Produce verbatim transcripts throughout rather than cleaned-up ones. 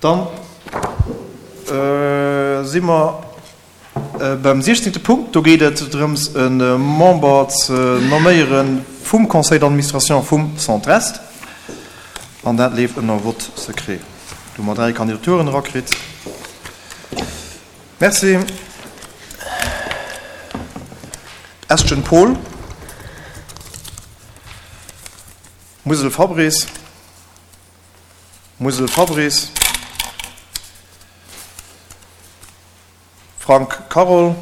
Dann si mer beim siechzéngte Punkt. Do geet et drëms, e Member ze nomméiere vum Conseil d'administration vum Centre Est. An dat leeft ënner Vote secret. Do hu mer dräi Kandidaturen erakritt. Merci. Estgen Paul, Musel Fabrice, Musel Fabrice, Frank Carole,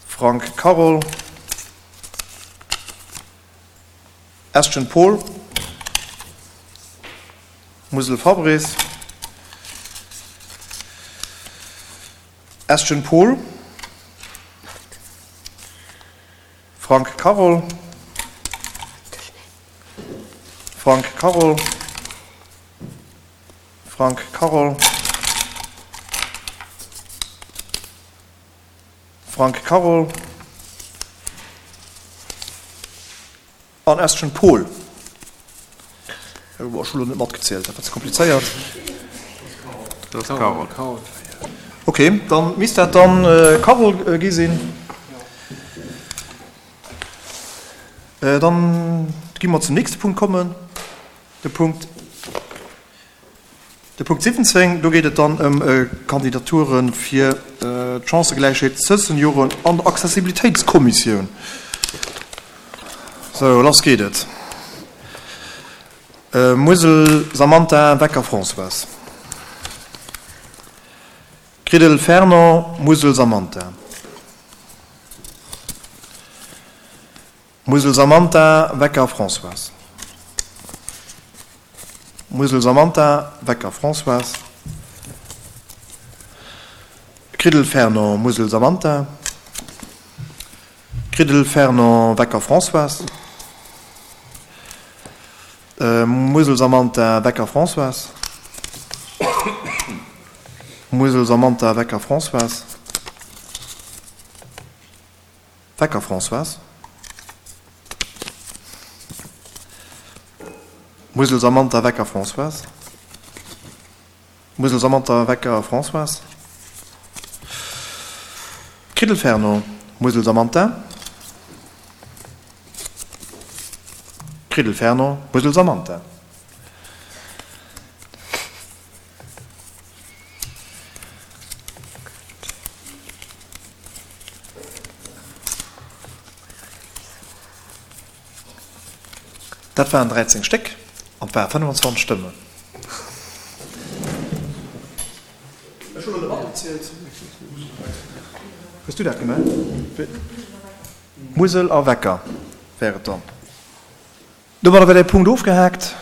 Frank Carole, Estgen Paul, Musel Fabrice, Estgen Paul, Frank Carole, Frank Carole, Frank Carole, Frank Carole an Estgen Paul. Ech hu lo net matgezielt, dat war ze komplizéiert. Dat ass Carole. Ok, dann misst dat dann Carole gi sinn. Dann gi mer zum nächste Punkt kommen, de Punkt, de Punkt siwwenzéng. Do geet et dann ëm Kandidature fir d'Chancëgläichheet tëscht Senioren an der Accessibilitéitskommissioun. Sou, lass geet et. Musel Samantha, Wecker Françoise. Kridel Fernand, Musel Samantha. Musel Samantha, Wecker Françoise. Musel Samantha, Wecker Françoise. Kridel Fernand, Musel Samantha. Kridel Fernand, Wecker Françoise. Musel Samantha, Wecker Françoise. Musel Samantha, Wecker Françoise. Wecker Françoise. Musel Samantha, Wecker Françoise. Musel Samantha, Wecker Françoise. Kridel Fernand, Musel Samantha. Kridel Fernand, Musel Samantha. Dat waren dräizéng Stéck an et ware fënnefenzwanzeg Stëmmen. Ech hunn elo net matgezielt. Hues du dat gemaach? Musel a Wecker wär et dann. Domadder wär dee Punkt ofgehaakt.